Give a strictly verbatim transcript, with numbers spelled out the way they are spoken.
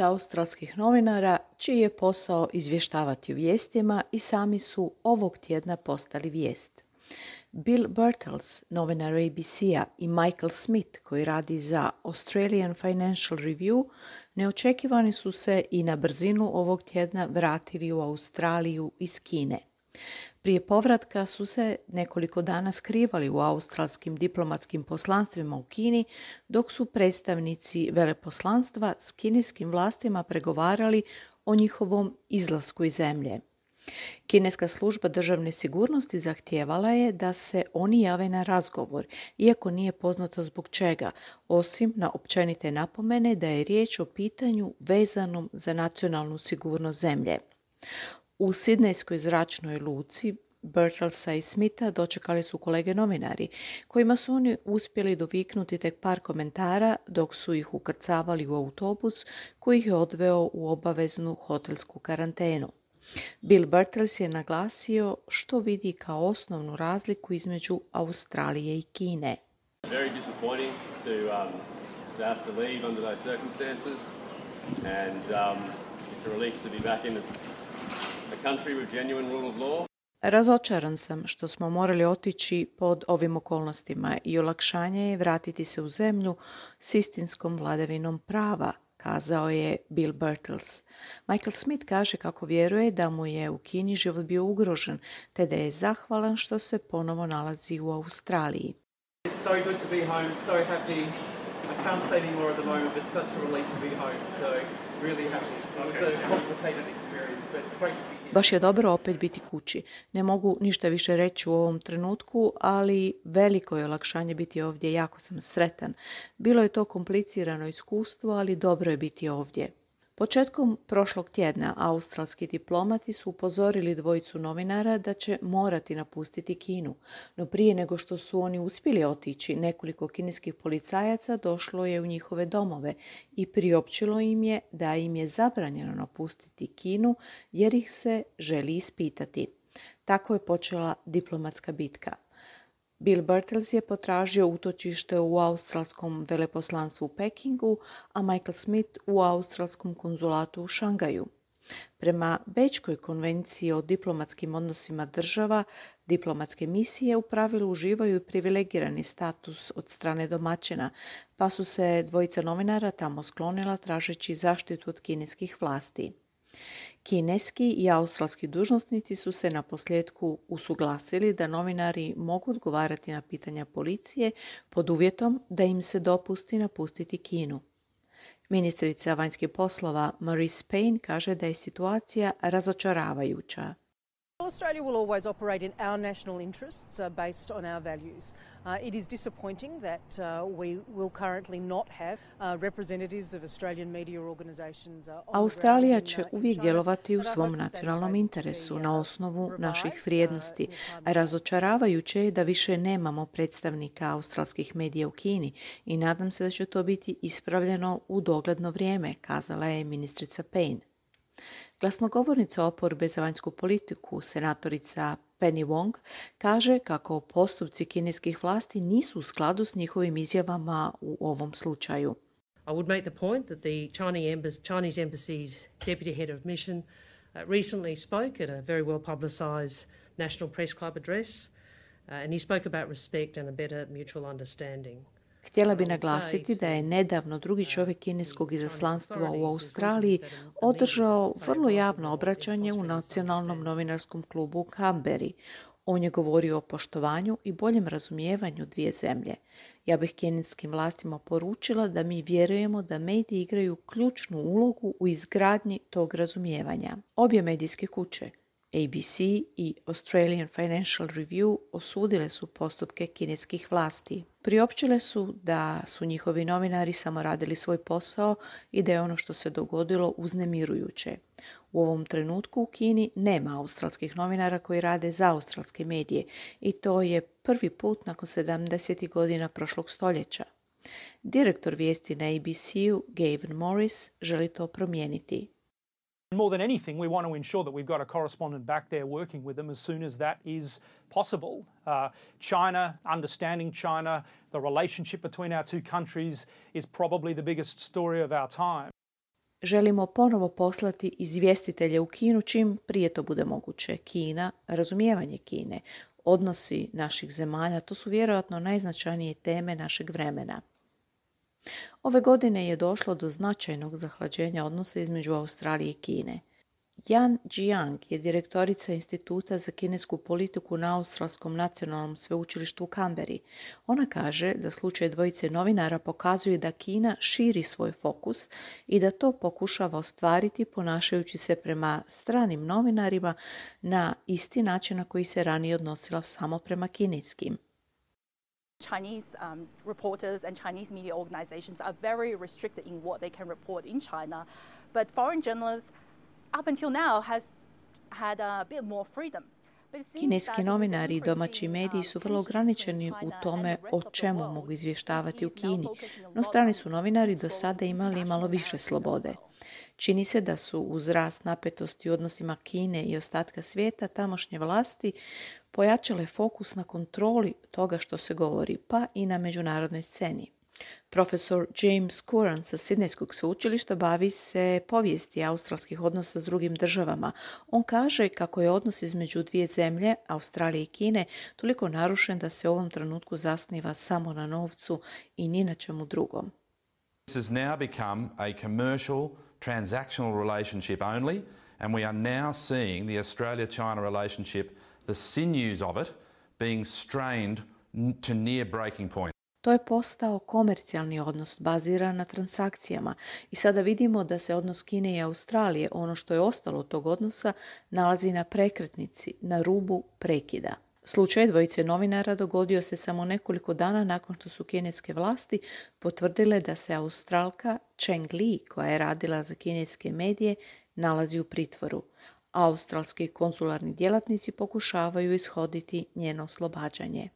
Australskih novinara, čiji je posao izvještavati o vijestima i sami su ovog tjedna postali vijest. Bill Birtles, novinar A B C-a, i Michael Smith, koji radi za Australian Financial Review, neočekivani su se i na brzinu ovog tjedna vratili u Australiju iz Kine. Prije povratka su se nekoliko dana skrivali u australskim diplomatskim poslanstvima u Kini, dok su predstavnici veleposlanstva s kineskim vlastima pregovarali o njihovom izlasku iz zemlje. Kineska služba državne sigurnosti zahtijevala je da se oni jave na razgovor, iako nije poznato zbog čega, osim na općenite napomene da je riječ o pitanju vezanom za nacionalnu sigurnost zemlje. U sidnejskoj zračnoj luci Birtlesa i Smitha dočekali su kolege novinari, kojima su oni uspjeli doviknuti tek par komentara dok su ih ukrcavali u autobus koji ih je odveo u obaveznu hotelsku karantenu. Bill Birtles je naglasio što vidi kao osnovnu razliku između Australije i Kine. Very disappointing to um, to have to leave under those circumstances, and um, it's a relief to be back in a country with genuine rule of law. Razočaran sam što smo morali otići pod ovim okolnostima i olakšanje je vratiti se u zemlju s istinskom vladavinom prava, kazao je Bill Birtles. Michael Smith kaže kako vjeruje da mu je u Kini život bio ugrožen, te da je zahvalan što se ponovo nalazi u Australiji. It's so good to be home, so happy. I can't say any more at the moment, but such a relief to be home, so really happy. It was a complicated experience, but it's great to be here. Baš je dobro opet biti kući. Ne mogu ništa više reći u ovom trenutku, ali veliko je olakšanje biti ovdje, jako sam sretan. Bilo je to komplicirano iskustvo, ali dobro je biti ovdje. Početkom prošlog tjedna australski diplomati su upozorili dvojicu novinara da će morati napustiti Kinu, no prije nego što su oni uspjeli otići, nekoliko kineskih policajaca došlo je u njihove domove i priopćilo im je da im je zabranjeno napustiti Kinu jer ih se želi ispitati. Tako je počela diplomatska bitka. Bill Birtles je potražio utočište u australskom veleposlanstvu u Pekingu, a Michael Smith u australskom konzulatu u Šangaju. Prema Bečkoj konvenciji o diplomatskim odnosima država, diplomatske misije u pravilu uživaju privilegirani status od strane domaćina, pa su se dvojica novinara tamo sklonila tražeći zaštitu od kineskih vlasti. Kineski i australski dužnosnici su se na posljedku usuglasili da novinari mogu odgovarati na pitanja policije pod uvjetom da im se dopusti napustiti Kinu. Ministrica vanjskih poslova Marise Payne kaže da je situacija razočaravajuća. Australia will always operate in our national interests uh, based on our values. Uh, it is disappointing that uh, we will currently not have uh, representatives of Australian media organisations. Uh, Australija će uvijek djelovati u svom nacionalnom interesu na osnovu naših vrijednosti. Razočaravajuće je da više nemamo predstavnika australskih medija u Kini i nadam se da će to biti ispravljeno u dogledno vrijeme, kazala je ministrica Payne. Glasnogovornica oporbe za vanjsku politiku, senatorica Penny Wong, kaže kako postupci kineskih vlasti nisu u skladu s njihovim izjavama u ovom slučaju. I would make the point that the Chinese embassy's deputy head of mission uh, recently spoke at a very well publicised National Press Club address, uh, and he spoke about respect and a better mutual understanding. Htjela bi naglasiti da je nedavno drugi čovjek kineskog izaslanstva u Australiji održao vrlo javno obraćanje u nacionalnom novinarskom klubu u Canberri. On je govorio o poštovanju i boljem razumijevanju dvije zemlje. Ja bih kineskim vlastima poručila da mi vjerujemo da mediji igraju ključnu ulogu u izgradnji tog razumijevanja. Obje medijske kuće, A B C i Australian Financial Review, osudile su postupke kineskih vlasti. Priopćile su da su njihovi novinari samo radili svoj posao i da je ono što se dogodilo uznemirujuće. U ovom trenutku u Kini nema australskih novinara koji rade za australske medije i to je prvi put nakon sedamdesetih godina prošlog stoljeća. Direktor vijesti na A B C-u, Gavin Morris, želi to promijeniti. More than anything, we want to ensure that we've got a correspondent back there working with them as soon as that is possible. Uh, China, understanding China, the relationship between our two countries is probably the biggest story of our time. Želimo ponovo poslati izvjestitelje u Kinu čim prije to bude moguće. Kina, razumijevanje Kine, odnosi naših zemalja, to su vjerojatno najznačajnije teme našeg vremena. Ove godine je došlo do značajnog zahlađenja odnosa između Australije i Kine. Yan Jiang je direktorica Instituta za kinesku politiku na Australskom nacionalnom sveučilištu u Canberri. Ona kaže da slučaj dvojice novinara pokazuje da Kina širi svoj fokus i da to pokušava ostvariti ponašajući se prema stranim novinarima na isti način na koji se ranije odnosila samo prema kineskim. Chinese um, reporters and Chinese media organizations are very restricted in what they can report in China, but foreign journalists up until now has had a bit more freedom. Kineski novinari i domaći mediji su vrlo ograničeni u tome o čemu mogu izvještavati u Kini, no strani su novinari do sada imali malo više slobode. Čini se da su uz rast napetosti u odnosima Kine i ostatka svijeta tamošnje vlasti pojačale fokus na kontroli toga što se govori, pa i na međunarodnoj sceni. Profesor James Curran sa Sidnejskog sveučilišta bavi se povijesti australskih odnosa s drugim državama. On kaže kako je odnos između dvije zemlje, Australije i Kine, toliko narušen da se u ovom trenutku zasniva samo na novcu i ni na čemu drugom. This has now become a commercial, transactional relationship only, and we are now seeing the Australia-China relationship, the sinews of it, being strained to near breaking point. To je postao komercijalni odnos baziran na transakcijama i sada vidimo da se odnos Kine i Australije, ono što je ostalo od tog odnosa, nalazi na prekretnici, na rubu prekida. Slučaj dvojice novinara dogodio se samo nekoliko dana nakon što su kineske vlasti potvrdile da se Australka Cheng Li, koja je radila za kineske medije, nalazi u pritvoru. Australski konzularni djelatnici pokušavaju ishoditi njeno oslobađanje.